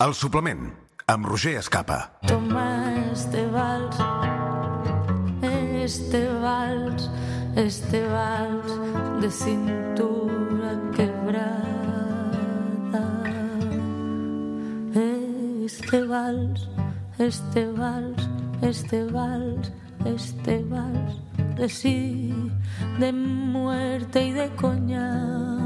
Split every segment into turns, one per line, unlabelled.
El suplement, amb Roger Escapa.
Toma este vals, de cintura quebrada. Este vals, de sí, de muerte y de coñac.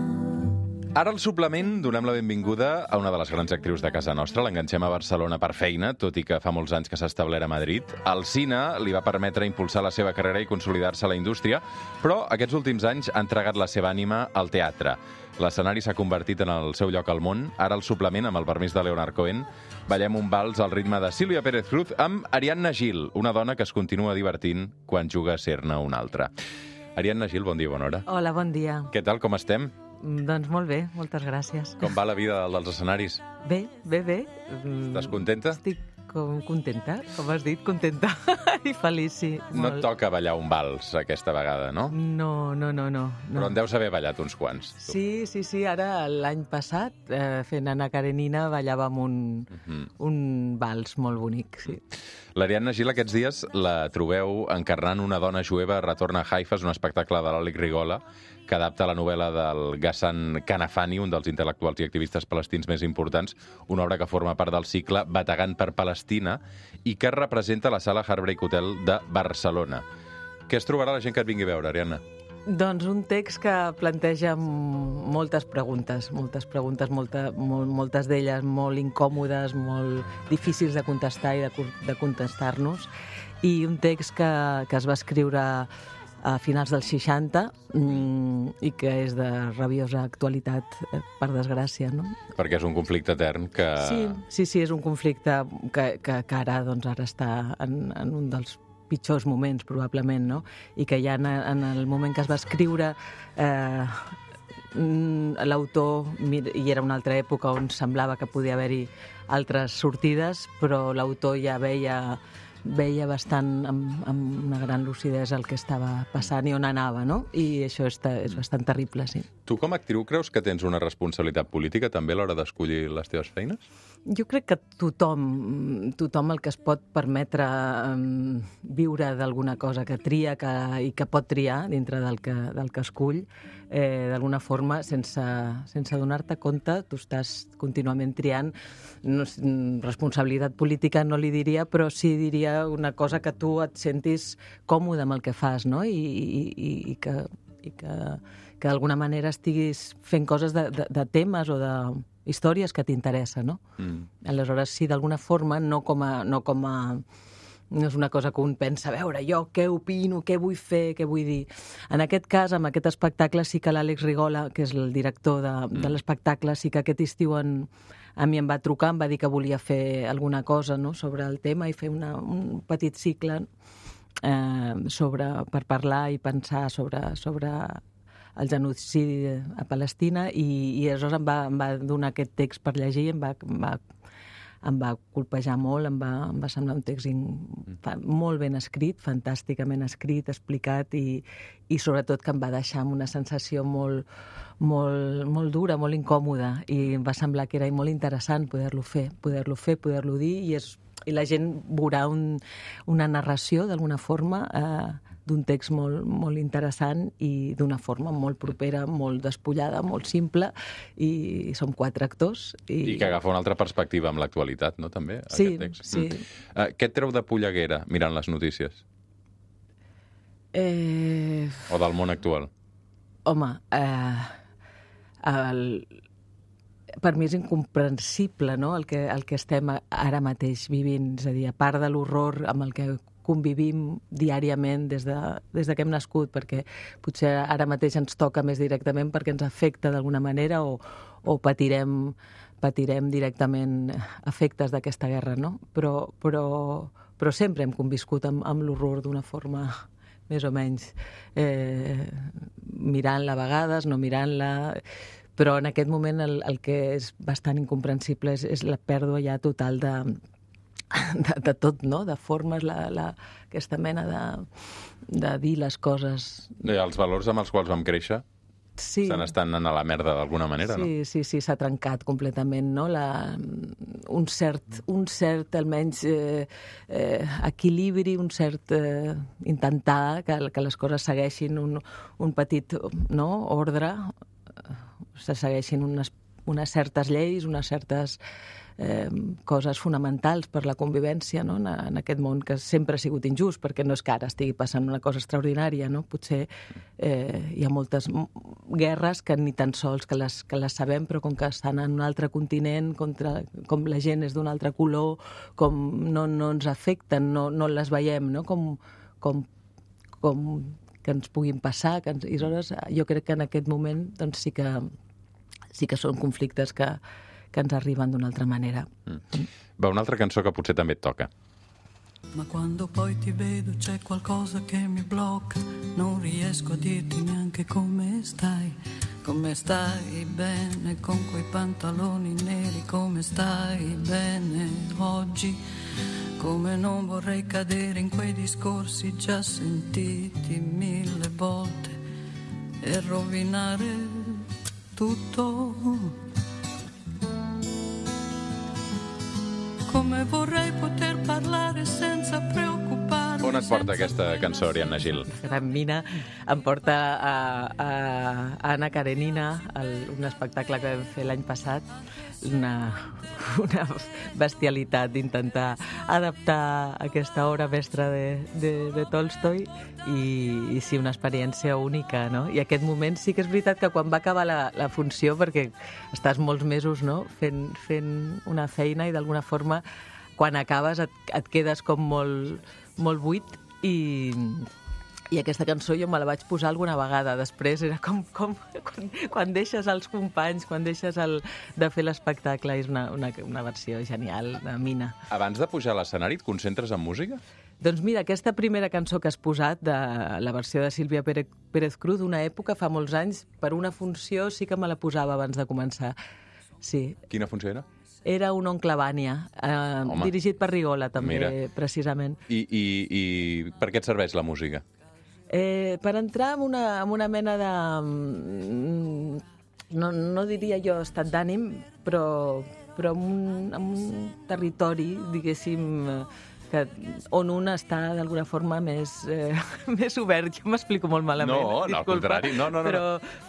Ara al suplement donem la benvinguda a una de les grans actrius de casa nostra. L'enganxem a Barcelona per feina, tot i que fa molts anys que s'ha establert a Madrid. El cine li va permetre impulsar la seva carrera i consolidar-se a la indústria, però aquests últims anys ha entregat la seva ànima al teatre. L'escenari s'ha convertit en el seu lloc al món. Ara al suplement, amb el permís de Leonard Cohen, ballem un vals al ritme de Sílvia Pérez Cruz amb Ariadna Gil, una dona que es continua divertint quan juga a ser-ne una altra. Ariadna Gil, bon dia, bona hora.
Hola, bon dia.
Què tal, com estem?
Doncs molt bé, moltes gràcies.
Com va la vida dels escenaris?
Bé.
Estàs contenta?
Estic contenta, com has dit, contenta i feliç, sí.
No et toca ballar un vals aquesta vegada, no?
No.
Però en deus haver ballat uns quants. Tu.
Sí, ara l'any passat, fent Anna Karenina, ballàvem un vals molt bonic, sí.
L'Ariadna Gil aquests dies la trobeu encarnant una dona jueva retorna a Haifa, és un espectacle de l'Àlex Rigola, que adapta la novel·la del Ghassan Kanafani, un dels intel·lectuals i activistes palestins més importants, una obra que forma part del cicle Bategant per Palestina i que representa la sala Heartbreak Hotel de Barcelona. Què es trobarà la gent que et vingui a veure, Ariadna?
Doncs un text que planteja moltes preguntes, moltes d'elles molt incòmodes, molt difícils de contestar i de contestar-nos, i un text que es va escriure a finals dels 60 i que és de rabiosa actualitat, per desgràcia, no?
Perquè és un conflicte etern que...
Sí, és un conflicte que ara està en un dels pitjors moments, probablement, no? I que ja en el moment que es va escriure l'autor, i era una altra època on semblava que podia haver-hi altres sortides, però l'autor ja veia bastant amb una gran lucidesa el que estava passant i on anava, no? I això és bastant terrible, sí.
Tu com a actriu creus que tens una responsabilitat política també a l'hora d'escollir les teves feines?
Jo crec que tothom el que es pot permetre viure d'alguna cosa que tria i que pot triar dintre del que escull, d'alguna forma, sense donar-te compte, tu estàs contínuament triant. Responsabilitat política no li diria, però sí diria una cosa que tu et sentis còmode amb el que fas, no? I que d'alguna manera estiguis fent coses de temes o de històries que t'interessen, no? Aleshores, sí, d'alguna forma, no és una cosa que un pensa, a veure, jo què opino, què vull fer, què vull dir. En aquest cas, amb aquest espectacle, sí que l'Àlex Rigola, que és el director de l'espectacle, sí que aquest estiu a mi em va trucar, em va dir que volia fer alguna cosa, no?, sobre el tema i fer un petit cicle per parlar i pensar sobre el genocidi a Palestina, i aleshores em va donar aquest text per llegir, em va colpejar molt, em va semblar un text molt ben escrit, fantàsticament escrit, explicat, i sobretot que em va deixar amb una sensació molt dura, molt incòmoda, i em va semblar que era molt interessant poder-lo dir, i la gent veurà una narració, d'alguna forma, d'un text molt interessant i d'una forma molt propera, molt despullada, molt simple, i som 4 actors.
I que agafa una altra perspectiva amb l'actualitat, no?, també, aquest text.
Sí.
Què et treu de polleguera mirant les notícies? O del món actual?
Home, per mi és incomprensible, no?, el que estem ara mateix vivint. És a dir, a part de l'horror amb el que convivim diàriament des que hem nascut, perquè potser ara mateix ens toca més directament perquè ens afecta d'alguna manera o patirem directament efectes d'aquesta guerra, no? Però sempre hem conviscut amb l'horror d'una forma més o menys mirant-la a vegades, no mirant-la, però en aquest moment el que és bastant incomprensible és la pèrdua ja total de tot, no?, de formes, aquesta mena de dir les coses.
Els valors amb els quals vam créixer
Sí.
Se n'estan anant a la merda d'alguna manera, no?
Sí, s'ha trencat completament, no? Un cert almenys, equilibri, un cert intentar que les coses segueixin un petit ordre, se segueixin unes certes lleis, unes certes coses fonamentals per la convivència, no? En aquest món que sempre ha sigut injust, perquè no és que ara estigui passant una cosa extraordinària, no? Potser hi ha moltes guerres que ni tan sols que les sabem, però com que estan en un altre continent, com la gent és d'un altre color, com no ens afecten, no les veiem, no? Com que ens puguin passar, i aleshores jo crec que en aquest moment doncs sí que són conflictes que ens arriben d'una altra manera.
Va, una altra cançó que potser també et toca.
Ma quando poi ti vedo c'è qualcosa che mi blocca, non riesco a dirti neanche come stai bene con quei pantaloni neri, come stai bene oggi, come non vorrei cadere in quei discorsi già sentiti 1000 volte e rovinare tutto. Come vorrei poter parlare senza preoccuparmi.
On et porta aquesta cançó, Ariadna Gil?
Gran Mina em porta a Anna Karenina, un espectacle que vam fer l'any passat, una bestialitat d'intentar adaptar aquesta obra mestra de Tolstoi i sí, una experiència única, no? I aquest moment sí que és veritat que quan va acabar la funció, perquè estàs molts mesos, no?, fent una feina i d'alguna forma quan acabes et quedes com molt buit i aquesta cançó jo me la vaig posar alguna vegada. Després era com quan deixes els companys, quan deixes de fer l'espectacle. És una versió genial de Mina.
Abans de pujar a l'escenari et concentres en música?
Doncs mira, aquesta primera cançó que has posat, de la versió de Sílvia Pérez Cruz, d'una època, fa molts anys, per una funció sí que me la posava abans de començar. Sí.
Quina funció era?
Era un Oncle Vània, dirigit per Rigola, també,
mira,
precisament.
I per què et serveix la música?
Per entrar en una mena de... No diria jo estat d'ànim, però en un territori, diguéssim, on un està d'alguna forma més obert. Jo m'explico molt malament.
No, al contrari. No.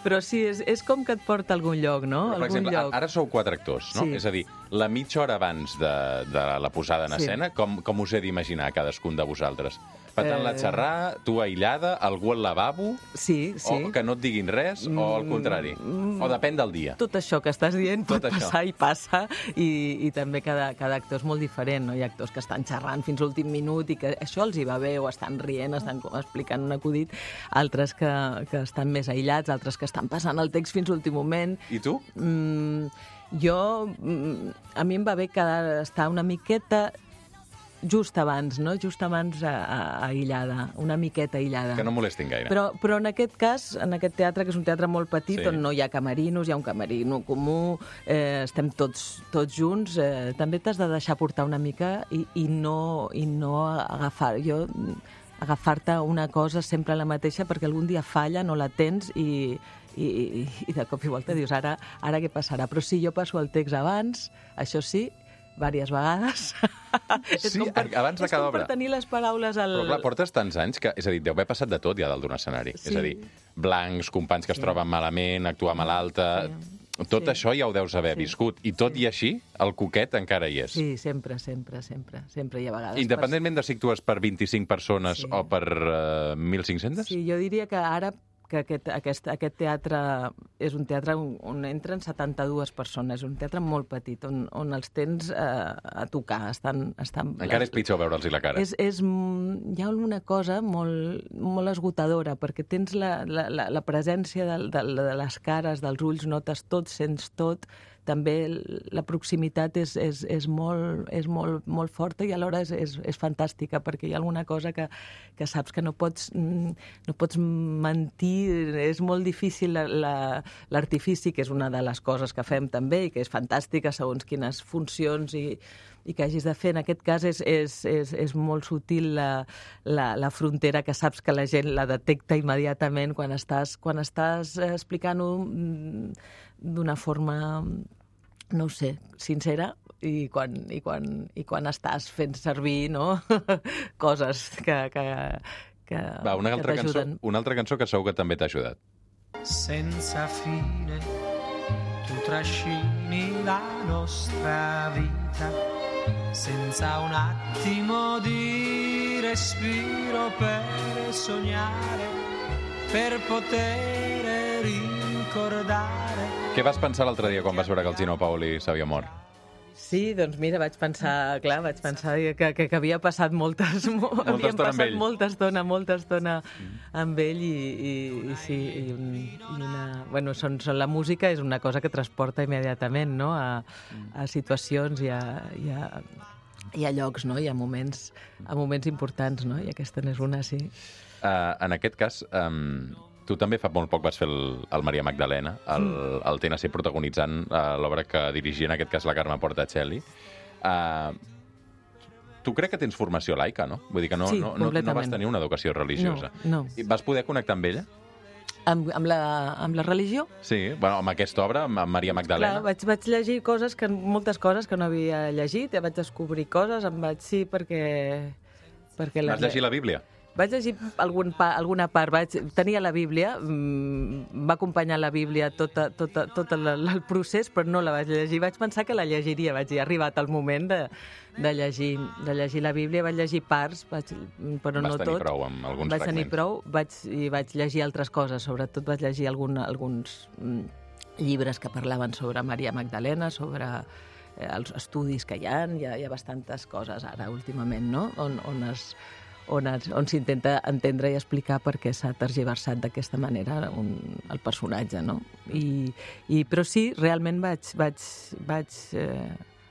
Però sí, és com que et porta a algun lloc, no?
Però, per exemple, ara sou 4 actors, no?
Sí.
És a dir, la mitja hora abans de la posada en escena, com us he d'imaginar cadascun de vosaltres? Patant la xerrar, tu aïllada, algú al lavabo?
Sí.
O que no et diguin res, o al contrari? O depèn del dia?
Tot això que estàs dient pot passar i passa, i també cada actor és molt diferent, no? Hi ha actors que estan xerrant fins a l'últim minut i que això els hi va bé, o estan rient, estan explicant un acudit, altres que estan més aïllats, altres que estan passant el text fins a l'últim moment.
I tu?
A mi em va bé estar una miqueta just abans, no? Just abans aïllada, una miqueta aïllada.
Que no molestin gaire.
Però en aquest cas, en aquest teatre, que és un teatre molt petit, on no hi ha camerinos, hi ha un camerino comú, estem tots junts, també t'has de deixar portar una mica i no agafar-te una cosa sempre la mateixa, perquè algun dia falla, no la tens i de cop i volta dius, ara què passarà? Però sí, jo passo el text abans, això sí, diverses vegades.
Sí, abans de cada obra.
És com per tenir les paraules al...
Però clar, portes tants anys que, és a dir, deu haver passat de tot ja dalt d'un escenari. Sí. És a dir, blancs, companys que es troben malament, actuar malalta... Tot això ja ho deus haver viscut. I tot i així, el coquet encara hi és.
Sí, sempre hi ha vegades.
Independentment de si actues per 25 persones o per 1.500?
Sí, jo diria que ara que aquest teatre és un teatre on entren 72 persones, un teatre molt petit, on els tens a tocar.
Encara és pitjor veure'ls la cara.
Hi ha una cosa molt esgotadora, perquè tens la presència de les cares, dels ulls, notes tot, sents tot. També la proximitat és molt forta i alhora és fantàstica, perquè hi ha alguna cosa que saps que no pots mentir, és molt difícil l'artifici, que és una de les coses que fem també i que és fantàstica segons quines funcions que hagis de fer. En aquest cas és molt sutil la frontera que saps que la gent la detecta immediatament quan estàs explicant-ho d'una forma, no ho sé, sincera, i quan estàs fent servir, no? Coses que
Va, una altra cançó que segur que també t'ha ajudat.
Senza fine tu trascini la nostra vita, senza un attimo di respiro per sognare, per poter ricordare.
Què vas pensar l'altre dia quan vas veure que el Gino Paoli s'havia mort?
Sí, doncs mira, vaig pensar que havia passat molta estona amb ell i sí, bueno, la música és una cosa que transporta immediatament, no?, a situacions i a llocs, no?, i a moments importants, no?, i aquesta n'és una, sí.
En aquest cas, tu també fa molt poc vas fer el Maria Magdalena, el TNC protagonitzant l'obra que dirigia, en aquest cas, la Carme Portacelli. Tu crec que tens formació laica, no? Vull dir que no vas tenir una educació religiosa.
No.
I vas poder connectar amb ella?
Amb la religió?
Sí, bueno, amb aquesta obra, amb Maria Magdalena.
Clar, vaig llegir moltes coses que no havia llegit, vaig descobrir coses, perquè
vas llegir la Bíblia?
Vaig llegir alguna part, tenia la Bíblia, va acompanyar la Bíblia tot el procés, però no la vaig llegir. Vaig pensar que la llegiria, ha arribat el moment de llegir la Bíblia, vaig llegir parts, però no tot.
Vas tenir prou amb alguns fragments.
Vaig tenir prou, i vaig llegir altres coses, sobretot vaig llegir alguns llibres que parlaven sobre Maria Magdalena, sobre els estudis que hi ha bastantes coses ara, últimament, no?, on s'intenta entendre i explicar per què s'ha tergiversat d'aquesta manera el personatge, no? Però sí, realment vaig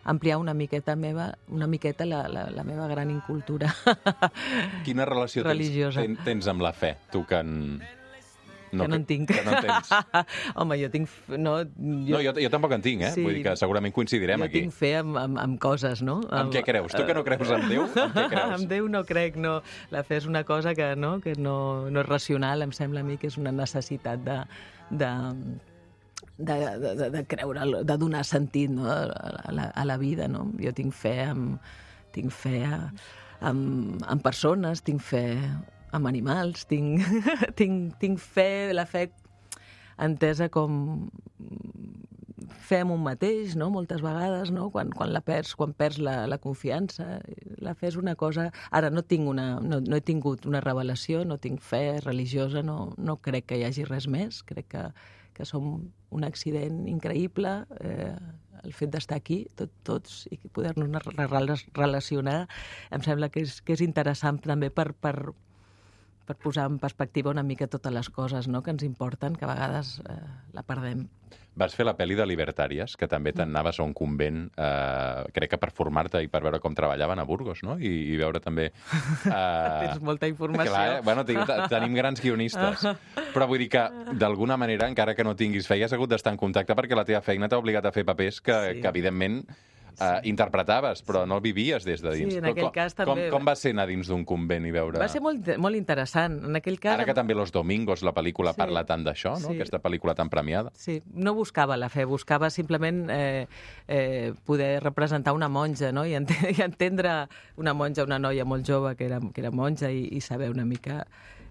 ampliar una miqueta la meva gran incultura religiosa.
Quina relació tens amb la fe, tu que
no en tinc.
Que no en tens.
Home, jo tinc...
Jo tampoc en tinc,
Sí.
Vull dir que segurament coincidirem aquí.
Jo tinc fe amb coses, no?
Amb què creus? Tu que no creus en Déu, amb què creus?
Amb Déu no crec, no. La fe és una cosa que no és racional, em sembla a mi que és una necessitat de creure, de donar sentit, no?, a la vida, no? Jo tinc fe en persones, tinc fe amb animals, tinc fe, la fe entesa com fe en un mateix, no?, moltes vegades, no?, quan perds la confiança. La fe és una cosa... Ara no he tingut una revelació, no tinc fe religiosa, no crec que hi hagi res més, crec que som un accident increïble, el fet d'estar aquí, tots, i poder-nos relacionar, em sembla que és interessant també per posar en perspectiva una mica totes les coses, no?, que ens importen, que a vegades la perdem.
Vas fer la pel·li de Libertàries, que també t'anaves a un convent, crec que per formar-te i per veure com treballaven a Burgos, no? I veure també...
Tens molta informació.
Clar, bueno, tenim grans guionistes. Però vull dir que, d'alguna manera, encara que no tinguis fe, has hagut d'estar en contacte perquè la teva feina t'ha obligat a fer papers que evidentment, interpretaves, però no vivies des de dins.
Sí, en aquell cas també...
Com va ser anar dins d'un convent i veure...
Va ser molt interessant. En aquell cas...
Ara que també Los Domingos, la pel·lícula, parla tant d'això, no? Aquesta pel·lícula tan premiada.
Sí, no buscava la fe, buscava simplement poder representar una monja, no?, i entendre una monja, una noia molt jove que era monja i saber una mica...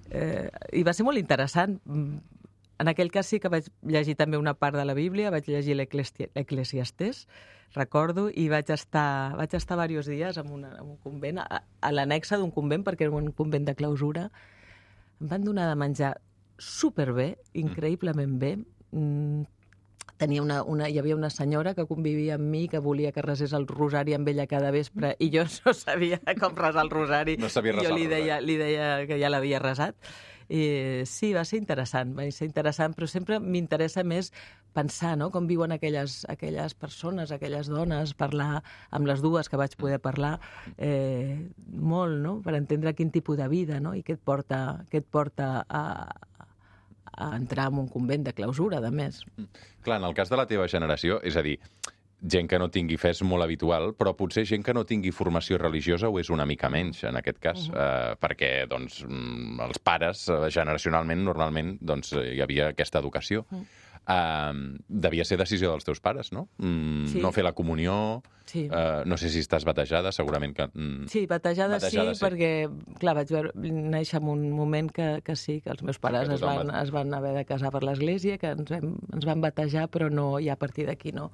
I va ser molt interessant. En aquell cas sí que vaig llegir també una part de la Bíblia, vaig llegir l'Eclesiastés, recordo, i vaig estar diversos dies en un convent, a l'annexa d'un convent, perquè era un convent de clausura. Em van donar de menjar superbé, increïblement bé. Hi havia una senyora que convivia amb mi, que volia que resés el rosari amb ella cada vespre, i jo no sabia com resar el rosari.
No sabia resar el rosari.
Jo li deia que ja l'havia resat. I sí, va ser interessant, però sempre m'interessa més pensar, no?, com viuen aquelles persones, aquelles dones, parlar amb les dues que vaig poder parlar, molt, no?, per entendre quin tipus de vida, no?, i què et porta a entrar en un convent de clausura, de més.
Clar, en el cas de la teva generació, és a dir, gent que no tingui fe és molt habitual, però potser gent que no tingui formació religiosa ho és una mica menys, en aquest cas, perquè doncs, els pares, generacionalment, normalment, doncs, hi havia aquesta educació. Devia ser decisió dels teus pares, no?
Sí.
No fer la comunió,
Sí.
no sé si estàs batejada, segurament que...
Sí, batejada sí, perquè, clar, vaig néixer en un moment que sí, que els meus pares es van haver de casar per l'església, que ens van batejar, però no, i a partir d'aquí no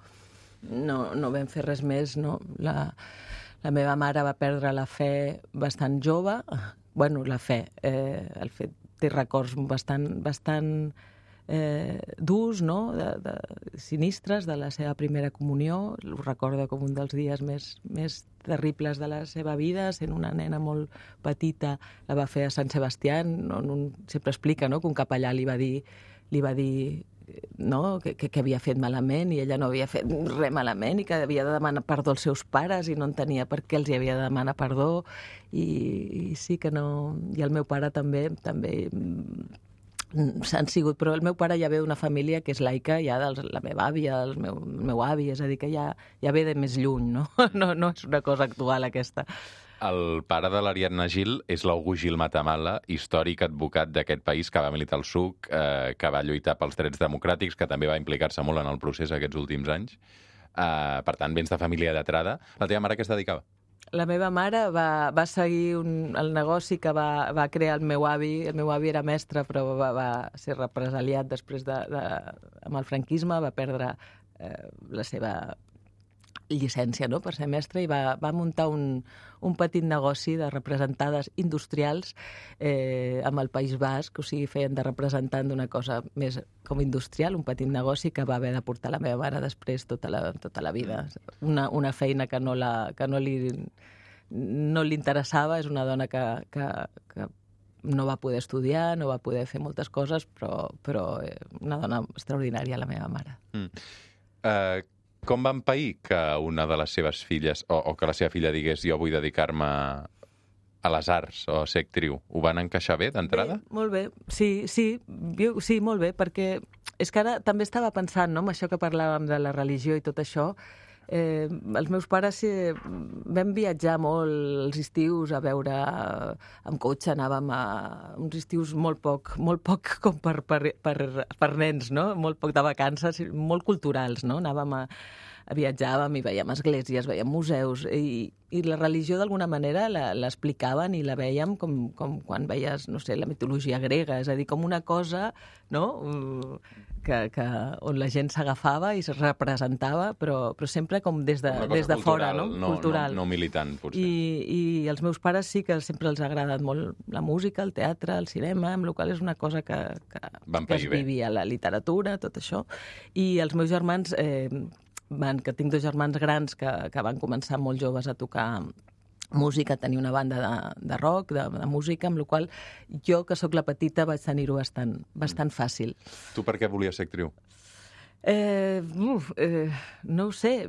vam fer res més, no. La meva mare va perdre la fe bastant jove, bueno, la fe, el fet, té records bastant durs, no? De sinistres de la seva primera comunió. Ho recorda com un dels dies més terribles de la seva vida, sent una nena molt petita, la va fer a Sant Sebastià, sempre explica, no?, que un capellà li va dir no?, que havia fet malament, i ella no havia fet res malament, i que havia de demanar perdó als seus pares, i no entenia per què els hi havia de demanar perdó, i sí que no... I el meu pare també s'han sigut, però el meu pare ja ve d'una família que és laica, ja la meva àvia, el meu avi, és a dir, que ja ve de més lluny, no? No és una cosa actual, aquesta.
El pare de l'Ariadna Gil és l'August Gil Matamala, històric advocat d'aquest país que va militar al SUC, que va lluitar pels drets democràtics, que també va implicar-se molt en el procés aquests últims anys. Per tant, vens de família lletrada. La teva mare què es dedicava?
La meva mare va seguir el negoci que va crear el meu avi. El meu avi era mestre, però va ser represaliat després amb el franquisme, va perdre la seva llicència, no?, per ser mestre, i va muntar un petit negoci de representades industrials amb el País Basc, o sigui, feien de representant d'una cosa més com industrial, un petit negoci que va haver de portar la meva mare després tota la vida. Una feina que no li interessava, és una dona que no va poder estudiar, no va poder fer moltes coses, però una dona extraordinària, la meva mare.
Com va empair que una de les seves filles, o que la seva filla digués jo vull dedicar-me a les arts o a ser actriu? Ho van encaixar bé d'entrada?
Bé, molt bé, sí, molt bé, perquè és que ara també estava pensant, no?, amb això que parlàvem de la religió i tot això. Els meus pares vam viatjar molt els estius a veure amb cotxe, anàvem a uns estius molt poc com per nens, no? Molt poc de vacances, molt culturals, no? Viatjàvem i veiem esglésies, veiem museus, i la religió d'alguna manera l'explicaven i la veiem com quan veies, no sé, la mitologia grega, és a dir, com una cosa, no?, on la gent s'agafava i es representava, però sempre com des de fora, no? Cultural.
No militant, potser.
I els meus pares sí que sempre els ha agradat molt la música, el teatre, el cinema, amb la qual és una cosa que es vivia, la literatura, tot això. I els meus germans, que tinc dos germans grans que van començar molt joves a tocar música, tenir una banda de rock, de música, amb la qual jo, que sóc la petita, vaig tenir-ho bastant fàcil.
Tu per què volies ser actriu?
No ho sé.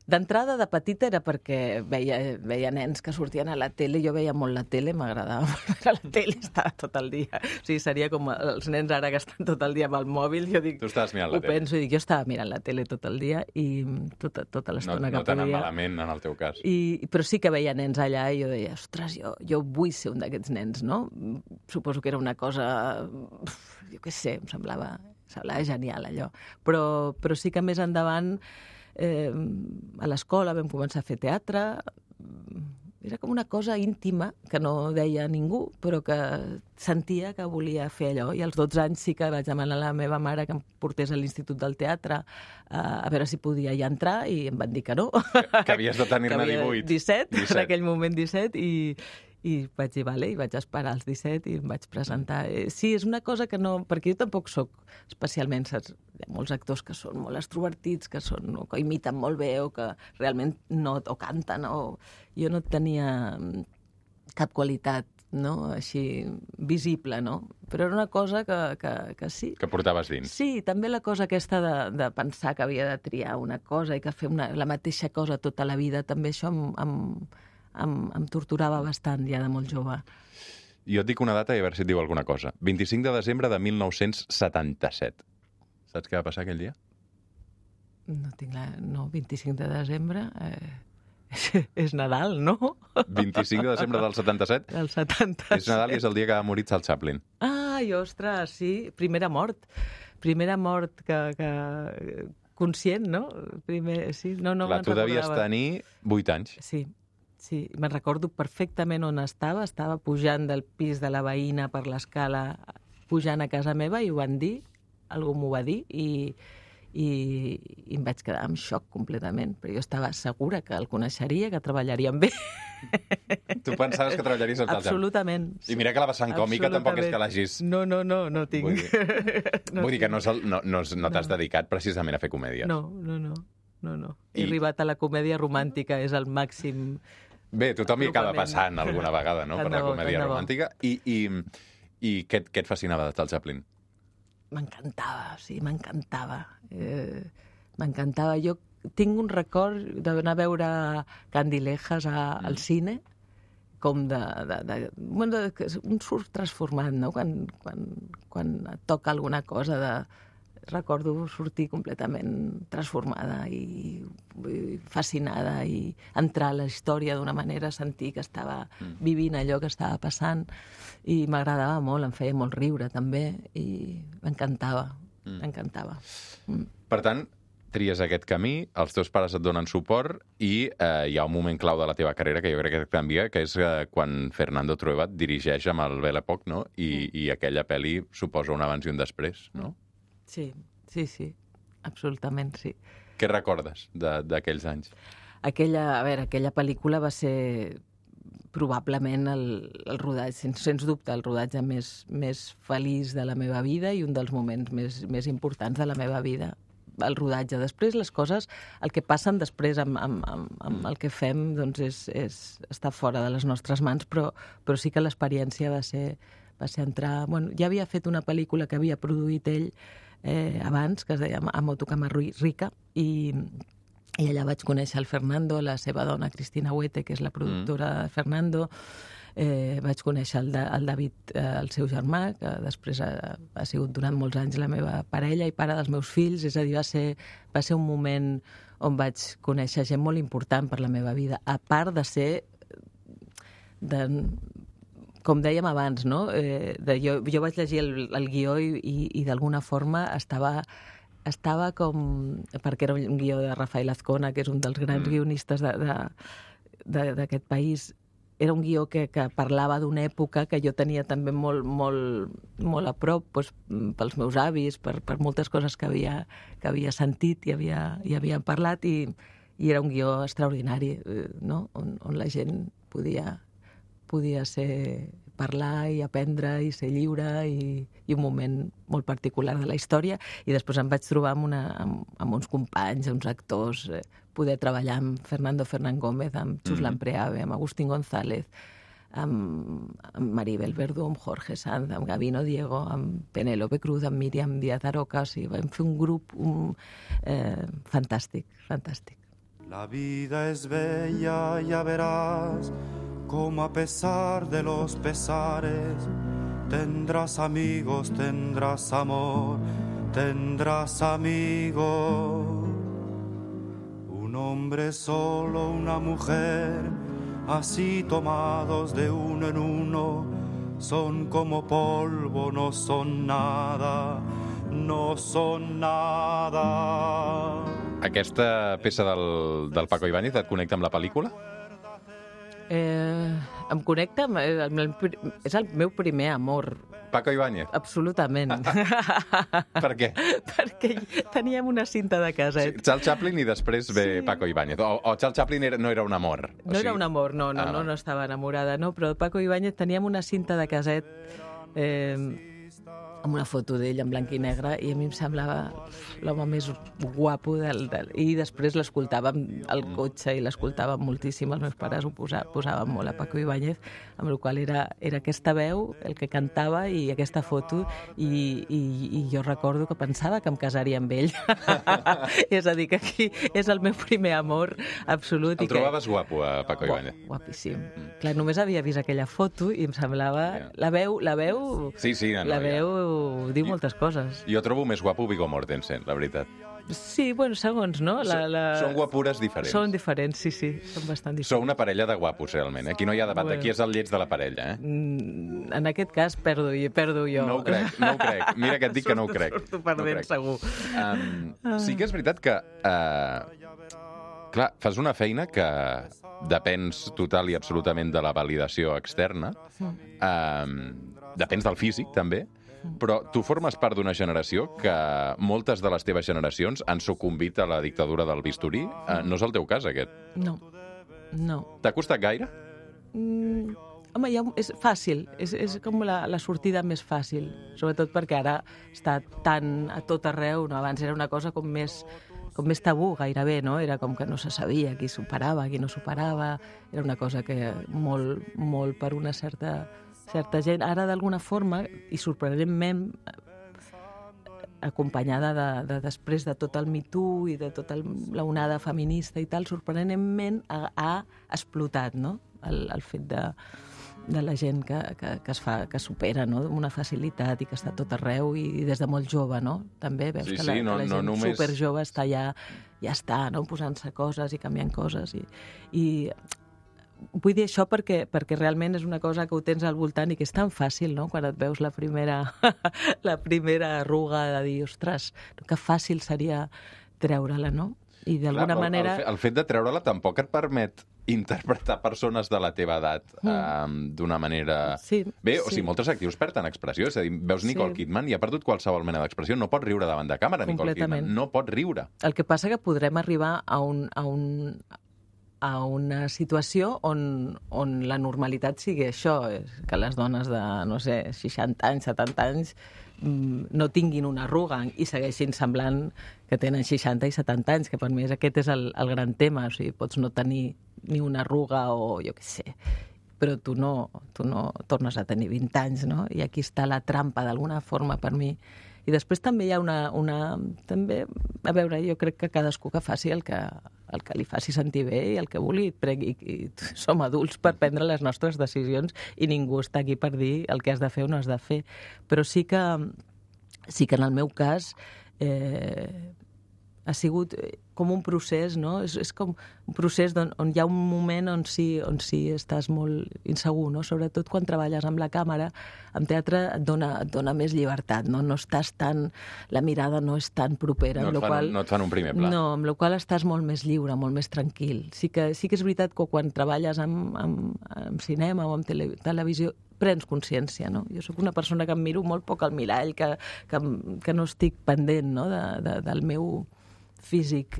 D'entrada, de petita, era perquè veia nens que sortien a la tele. Jo veia molt la tele, m'agradava molt veure la tele, estava tot el dia. O sigui, seria com els nens ara que estan tot el dia amb el mòbil. Jo dic,
tu estaves mirant la tele?
Ho penso, jo estava mirant la tele tot el dia i tota l'estona que podia.
No tan malament, en el teu cas.
Però sí que veia nens allà i jo deia, ostres, jo vull ser un d'aquests nens, no? Suposo que era una cosa, jo què sé, em semblava genial, allò. Però sí que més endavant, a l'escola vam començar a fer teatre. Era com una cosa íntima que no deia ningú, però que sentia que volia fer allò. I als 12 anys sí que vaig demanar a la meva mare que em portés a l'Institut del Teatre a veure si podia ja entrar, i em van dir que no.
Que havies de tenir-ne 18.
17, en aquell moment 17, i vaig dir, vale, i vaig esperar els 17 i em vaig presentar. Sí, és una cosa que no... Perquè jo tampoc sóc especialment, saps? Hi ha molts actors que són molt extrovertits, que imiten molt bé, o que realment o canten, o... Jo no tenia cap qualitat, no?, així visible, no? Però era una cosa que sí.
Que portaves dins.
Sí, també la cosa aquesta de pensar que havia de triar una cosa i que fer la mateixa cosa tota la vida, també això em torturava bastant ja de molt jove.
Jo et dic una data i a veure si et diu alguna cosa. 25 de desembre de 1977. Saps què va passar aquell dia?
No tinc no, 25 de desembre... és Nadal, no?
25 de desembre del 77?
Del 77.
És Nadal i és el dia que va morir Charles Chaplin.
Ai, ostres, sí. Primera mort que conscient, no? Sí, no
Clar, tu devies tenir 8 anys.
Sí, me'n recordo perfectament on estava. Estava pujant del pis de la veïna per l'escala, pujant a casa meva, i ho van dir, algú m'ho va dir, i em vaig quedar en xoc completament, però jo estava segura que el coneixeria, que treballaria amb ell.
Tu pensaves que treballaries amb Charles Chaplin?
Absolutament.
I mira que la vessant còmica tampoc és que l'hagis...
No tinc.
Vull dir que no t'has dedicat precisament a fer comèdies.
No. He arribat a la comèdia romàntica, és el màxim...
Bé, tothom hi acaba passant alguna vegada, no?, per la comèdia romàntica. I què et fascinava de Charles Chaplin?
M'encantava, sí, m'encantava. M'encantava. Jo tinc un record d'anar a veure Candilejas al cine, com un surt transformat, no?, quan et toca alguna cosa recordo sortir completament transformada i fascinada i entrar a la història d'una manera, sentir que estava vivint allò que estava passant, i m'agradava molt, em feia molt riure també, i m'encantava.
Per tant, tries aquest camí, els teus pares et donen suport i hi ha un moment clau de la teva carrera que jo crec que et canvia, que és quan Fernando Trueba et dirigeix amb el Belle Époque, no? I aquella pel·li suposa un abans i un després, no?
Sí, absolutament, sí.
Què recordes d'aquells anys?
Aquella pel·lícula va ser probablement el rodatge, sens dubte, el rodatge més feliç de la meva vida i un dels moments més importants de la meva vida. El rodatge. Després, les coses, el que passen després amb el que fem, doncs està fora de les nostres mans, però sí que l'experiència va ser entrar... Bueno, ja havia fet una pel·lícula que havia produït ell abans, que es deia Amoto Camarrica, i allà vaig conèixer el Fernando, la seva dona Cristina Huete, que és la productora de Fernando. Vaig conèixer el David, el seu germà, que després ha sigut durant molts anys la meva parella i pare dels meus fills. És a dir, va ser un moment on vaig conèixer gent molt important per la meva vida, a part de ser... com dèiem abans, no? Jo vaig llegir el guió i d'alguna forma estava com... perquè era un guió de Rafael Azcona, que és un dels grans guionistes d'aquest país. Era un guió que parlava d'una època que jo tenia també molt a prop, doncs, pels meus avis, per moltes coses que havia sentit i havia parlat, i era un guió extraordinari, no? On la gent podia parlar i aprendre i ser lliure, i un moment molt particular de la història. I després em vaig trobar amb uns companys, uns actors, poder treballar amb Fernando Fernán Gómez, amb Chuslan Preave, amb Agustín González, amb Maribel Verdú, amb Jorge Sanz, amb Gabino Diego, amb Penélope Cruz, amb Míriam Díaz Aroca. O sigui, vam fer un grup fantàstic.
La vida es bella, ya verás, como a pesar de los pesares, tendrás amigos, tendrás amor, tendrás amigos. Un hombre solo, una mujer, así tomados de uno en uno, son como polvo, no son nada, no son nada.
Aquesta peça del Paco Ibáñez et connecta amb la pel·lícula?
Em connecta, és el meu primer amor.
Paco Ibáñez?
Absolutament.
Per què?
Perquè teníem una cinta de caset.
Sí, Charles Chaplin i després ve Paco Ibáñez. O Charles Chaplin no era un amor?
No era un amor, no estava enamorada, no, però Paco Ibáñez teníem una cinta de caset amb una foto d'ell en blanc i negre, i a mi em semblava l'home més guapo i després l'escoltàvem al cotxe i l'escoltàvem moltíssim. Els meus pares ho posaven molt a Paco Ibáñez, amb la qual era aquesta veu, el que cantava, i aquesta foto, i jo recordo que pensava que em casaria amb ell. És a dir, que aquí és el meu primer amor absolut.
El trobaves guapo, a Paco Ibáñez?
Guapíssim. Clar, només havia vist aquella foto i em semblava... La veu...
Sí,
la veu diu moltes coses.
Jo trobo més guapo Viggo Mortensen, la veritat.
Sí, bueno, segons, no?
Són guapures diferents.
Són diferents, sí, són bastant diferents.
Sou una parella de guapos, realment. Aquí no hi ha debat,
Bueno.
aquí és el lleig de la parella,
En aquest cas perdo jo.
No ho crec. Mira que et dic que no ho crec.
Surto perdent, segur.
Sí que és veritat que... clar, fas una feina que depens total i absolutament de la validació externa. Depens del físic, també. Però tu formes part d'una generació que moltes de les teves generacions han sucumbit a la dictadura del bisturí. No és el teu cas, aquest?
No.
T'ha costat gaire?
Home, és fàcil, és com la sortida més fàcil, sobretot perquè ara està tan a tot arreu, no? Abans era una cosa com més tabú gairebé, no? Era com que no se sabia qui superava, qui no superava, era una cosa que molt per una certa gent. Ara, d'alguna forma, i sorprenentment, acompanyada de després de tot el Me Too i de tota la onada feminista i tal, sorprenentment ha explotat, no? El fet de la gent que supera, no? Amb una facilitat i que està a tot arreu i des de molt jove, no? També veus que la gent superjove està ja està, no? Posant-se coses i canviant coses i vull dir això perquè realment és una cosa que ho tens al voltant i que és tan fàcil, no?, quan et veus la primera arruga de dir, ostres, que fàcil seria treure-la, no? I d'alguna manera...
El fet de treure-la tampoc et permet interpretar persones de la teva edat d'una manera... Bé, o sigui, moltes actrius perden expressió, és a dir, veus Nicole Kidman i ha perdut qualsevol mena d'expressió, no pot riure davant de càmera, Nicole Kidman, no pot riure.
El que passa que podrem arribar a una situació on la normalitat sigui això, que les dones de, no sé, 60 anys, 70 anys no tinguin una arruga i segueixin semblant que tenen 60 i 70 anys, que per mi aquest és el gran tema. O sigui, pots no tenir ni una arruga o jo què sé, però tu no tornes a tenir 20 anys, no? I aquí està la trampa, d'alguna forma, per mi. I després també hi ha també, a veure, jo crec que cadascú que faci el que li faci sentir bé i el que vulgui. I som adults per prendre les nostres decisions i ningú està aquí per dir el que has de fer o no has de fer. Però sí que en el meu cas ha sigut com un procés, no? És com un procés on hi ha un moment on sí estàs molt insegur, no? Sobretot quan treballes amb la càmera, amb teatre et dona més llibertat, no? No estàs tan... La mirada no és tan propera.
No et fan un primer pla.
No, amb la qual estàs molt més lliure, molt més tranquil. Sí que és veritat que quan treballes amb cinema o amb televisió prens consciència, no? Jo sóc una persona que em miro molt poc al mirall, que no estic pendent, no? Del meu físic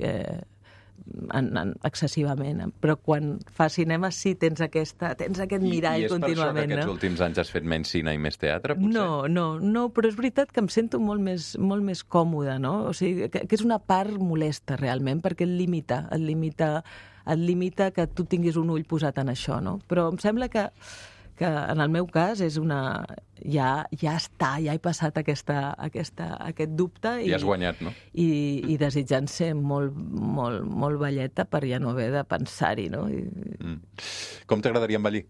excessivament, però quan fas cinema sí tens aquest mirall contínuament. I és per això que aquests
últims anys has fet menys cine i més teatre, potser?
No, però és veritat que em sento molt més còmoda, no? O sigui, que és una part molesta realment, perquè et limita que tu tinguis un ull posat en això, no? Però em sembla que en el meu cas és ja he passat aquest dubte
i has guanyat, no?
I desitjant ser molt, molt, molt velleta per ja no haver de pensar-hi, no?
Com t'agradaria envellir?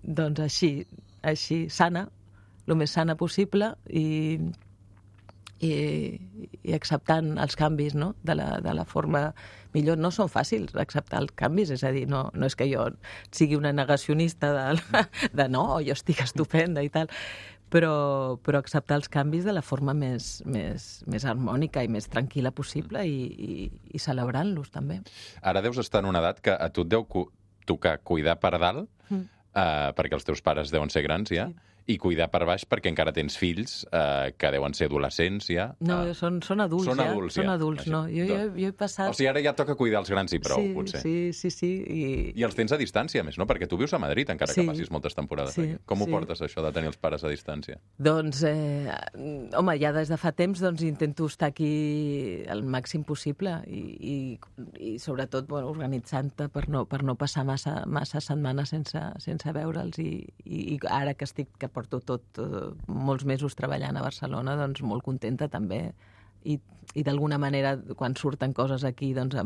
Doncs així, sana, el més sana possible i acceptant els canvis, no? De la forma millor. No són fàcils acceptar els canvis, és a dir, no és que jo sigui una negacionista de no, jo estic estupenda i tal, però acceptar els canvis de la forma més harmònica i més tranquil·la possible i celebrant-los també.
Ara deus estar en una edat que a tu et deu tocar cuidar per dalt, perquè els teus pares deuen ser grans ja, i cuidar per baix perquè encara tens fills que deuen ser adolescents ja.
No, són adults ja. Són adults, no. Jo he passat...
O sigui, ara ja toca cuidar els grans i prou, potser.
Sí. I
els tens a distància, més, no? Perquè tu vius a Madrid, encara que passis moltes temporades. Sí, com ho portes, això de tenir els pares a distància?
Doncs, home, ja des de fa temps intento estar aquí el màxim possible i sobretot organitzant-te per no passar massa setmanes sense veure'ls i ara que porto molts mesos treballant a Barcelona, doncs molt contenta també. I d'alguna manera, quan surten coses aquí, doncs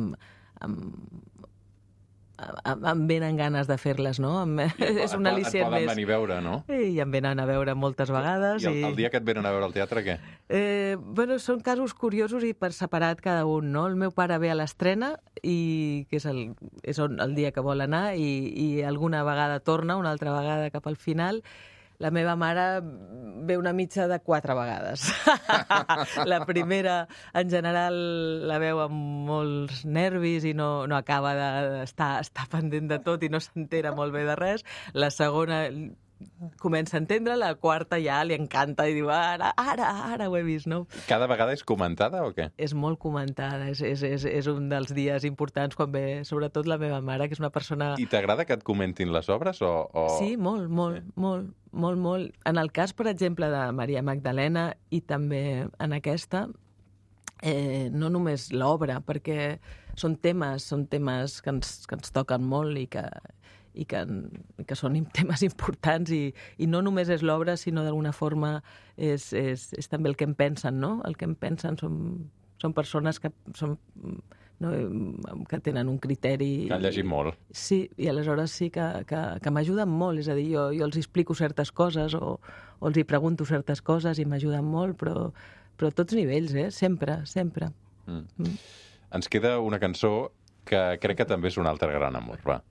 em venen ganes de fer-les, no? És un al·licient més.
Et poden venir a veure, no?
I em venen a veure moltes vegades.
I el dia que et venen a veure al teatre, què?
Bueno, són casos curiosos i per separat cada un, no? El meu pare ve a l'estrena, que és el dia que vol anar, i alguna vegada torna, una altra vegada cap al final. La meva mare ve una mitja de 4 vegades. La primera, en general, la veu amb molts nervis i no acaba d'estar pendent de tot i no s'entera molt bé de res. La segona comença a entendre, la quarta ja li encanta i diu ara ho he vist, no?
Cada vegada és comentada o què?
És molt comentada, és un dels dies importants quan ve, sobretot la meva mare, que és una persona...
I t'agrada que et comentin les obres o...?
Sí, molt. En el cas, per exemple, de Maria Magdalena i també en aquesta, no només l'obra, perquè són temes que ens toquen molt i que són temes importants i no només és l'obra, sinó d'alguna forma és també el que em pensen, no? El que em pensen són persones que tenen un criteri...
Que han llegit molt.
Sí, i aleshores sí que m'ajuden molt, és a dir, jo els explico certes coses o els hi pregunto certes coses i m'ajuden molt, però a tots nivells, sempre.
Ens queda una cançó que crec que també és un altre gran amor, va.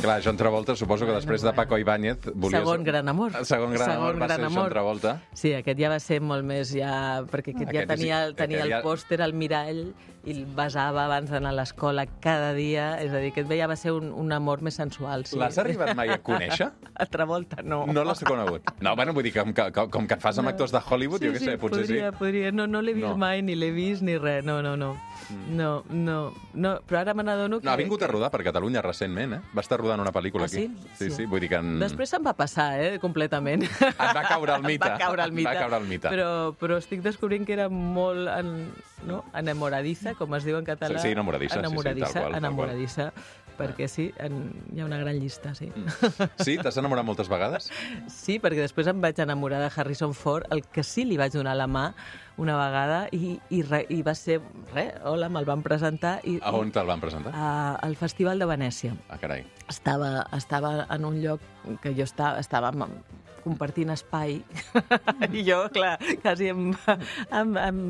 Clar, John Travolta, suposo que després de Paco Ibáñez...
Segon gran amor.
Segon gran amor va ser John Travolta.
Sí, aquest ja va ser molt més, perquè aquest ja tenia el pòster al mirall i el besava abans d'anar a l'escola cada dia, és a dir, aquest ja va ser un amor més sensual. Sí.
L'has arribat mai a conèixer?
A Travolta, no.
No l'has conegut? No, bueno, vull dir que com que et fas amb actors de Hollywood, jo què sé, potser sí.
Podria. No l'he vist mai, ni l'he vist, ni res, no. No, però ara me n'adono que...
No, ha vingut a rodar per Catalunya recentment, Va estar rodant una pel·lícula aquí. Sí, vull dir que...
Després se'n va passar, completament.
Et va caure el mite.
Va caure el mite. Però estic descobrint que era molt enamoradiza, com es diu en català.
Sí, enamoradissa.
Perquè sí, hi ha una gran llista, sí.
Sí? T'has enamorat moltes vegades?
Sí, perquè després em vaig enamorar de Harrison Ford, el que sí li vaig donar la mà una vegada i va ser... Hola, me'l van presentar.
A on te'l van presentar?
Al Festival de Venècia.
Ah, carai.
Estava en un lloc que jo estava compartint espai i jo, clar, quasi em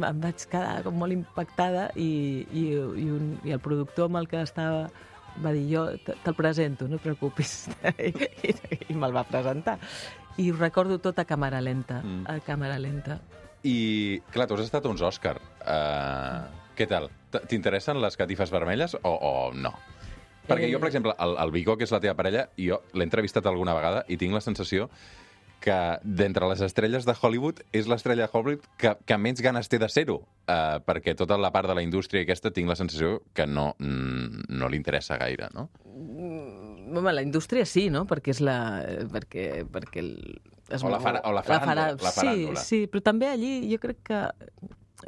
vaig quedar com molt impactada i el productor amb el que estava va dir, jo te'l presento, no et preocupis. I me'l va presentar. I ho recordo tot a càmera lenta.
I, clar, tu has estat a uns Òscar. Què tal? T'interessen les catifes vermelles o no? Perquè jo, per exemple, el Viggo, que és la teva parella, jo l'he entrevistat alguna vegada i tinc la sensació que d'entre les estrelles de Hollywood és l'estrella de Hollywood que menys ganes té de ser-ho, perquè tota la part de la indústria aquesta tinc la sensació que no li interessa gaire, no?
Home, la indústria sí, no? Perquè és
la faràndula.
Sí, però també allí jo crec que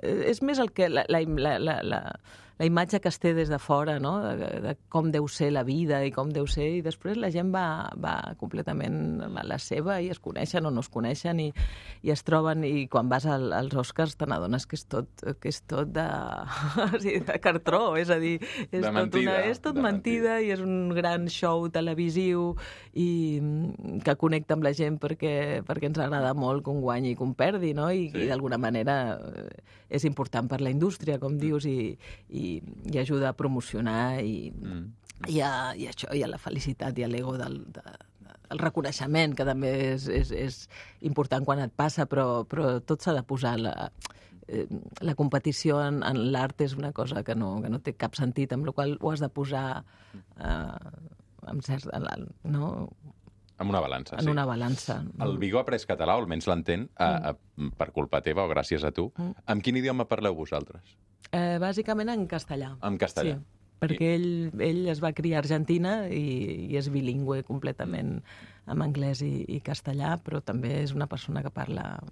és més el que la imatge que es té des de fora, no? De com deu ser la vida i com deu ser, i després la gent va completament a la seva i es coneixen o no es coneixen i es troben, i quan vas als Oscars te n'adones que és tot de cartró, és a dir, és tot mentida i és un gran show televisiu i que connecta amb la gent perquè ens agrada molt que un guanyi i que un perdi, no? I d'alguna manera és important per la indústria, com dius, i ajuda a promocionar i a la felicitat i a l'ego del reconeixement, que també és important quan et passa, però tot s'ha de posar. La competició en l'art és una cosa que no té cap sentit, amb la qual ho has de posar amb cert... no?
En una balança,
En una balança.
El Viggo ha après català, o almenys l'entén, per culpa teva o gràcies a tu. Amb quin idioma parleu vosaltres?
Bàsicament en castellà.
En castellà.
Sí, perquè ell es va criar a Argentina i és bilingüe completament amb anglès i castellà, però també és una persona que parla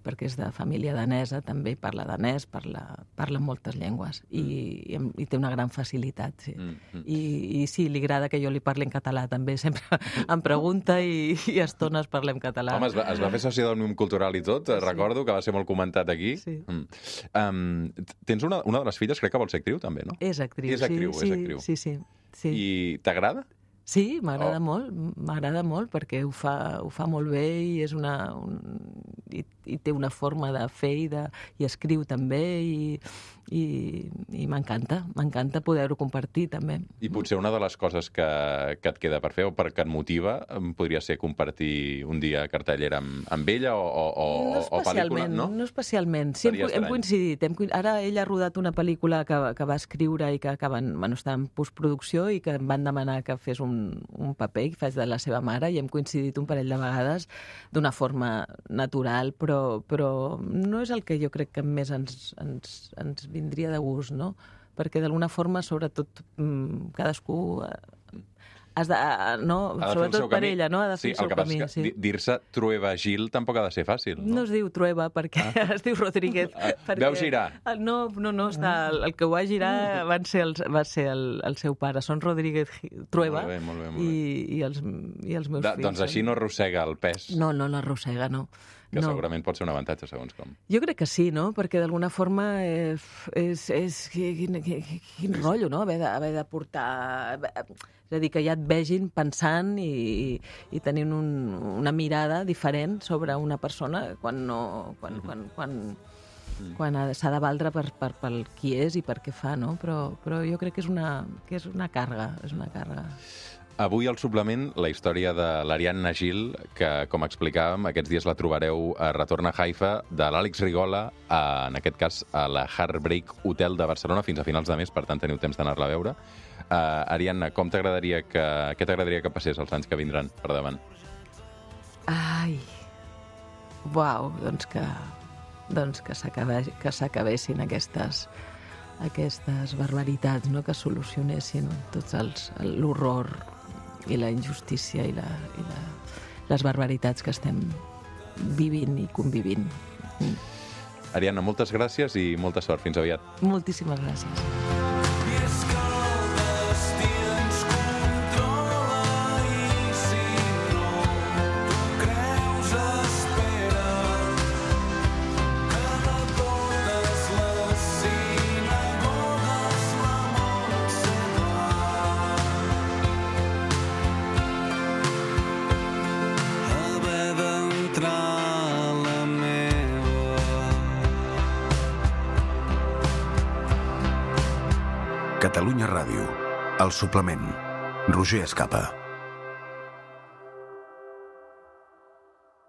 perquè és de família danesa, també parla danès, parla moltes llengües i té una gran facilitat, sí. I sí, li agrada que jo li parli en català també, sempre em pregunta i a estones parlem català.
Home, es va fer soci del Òmnium Cultural i tot, recordo que va ser molt comentat aquí.
Sí.
Tens una de les filles, crec que vol ser actriu també, no?
És actriu,
és actriu.
Sí.
I t'agrada?
Sí, m'agrada molt, perquè ho fa molt bé i és i té una forma de fer i escriu també i m'encanta poder-ho compartir també.
I potser una de les coses que et queda per fer o que et motiva podria ser compartir un dia cartellera amb ella o pel·lícula, no?
No especialment. Sí, hem coincidit. Ara ella ha rodat una pel·lícula que va escriure i que està en postproducció i que em van demanar que fes un paper i faig de la seva mare i hem coincidit un parell de vegades d'una forma natural, però no és el que jo crec que més ens vindria de gust, no? Perquè d'alguna forma, sobretot, cadascú has de, no? Sobretot per ella, no? Ha de fer el seu camí.
Sí. Dir-se Trueba Gil tampoc ha de ser fàcil, no?
No es diu Trueba, perquè es diu Rodríguez.
Veu girar?
No, està, el que ho va girar va ser el seu pare. Són Rodríguez Trueba
molt bé.
I els meus fills.
Doncs així no arrossega el pes.
No l'arrossega, no.
Que segurament pot ser un avantatge, segons com.
Jo crec que sí, no? Perquè d'alguna forma quin rotllo, no? Haver de portar... És a dir, que ja et vegin pensant i tenint una mirada diferent sobre una persona quan s'ha de valdre pel qui és i per què fa, no? Però jo crec que és una càrrega,
Avui al suplement la història de l'Ariadna Gil, que, com explicàvem, aquests dies la trobareu a Retorn a Haifa, de l'Àlex Rigola, en aquest cas a la Heartbreak Hotel de Barcelona, fins a finals de mes, per tant teniu temps d'anar-la a veure. Ariadna, què t'agradaria que passés els anys que vindran per davant?
Ai, uau, doncs que s'acabessin aquestes barbaritats, no? Que solucionessin tots l'horror i la injustícia i les barbaritats que estem vivint i convivint.
Ariadna, moltes gràcies i molta sort. Fins aviat.
Moltíssimes gràcies.
Catalunya Ràdio. El suplement. Roger Escapa.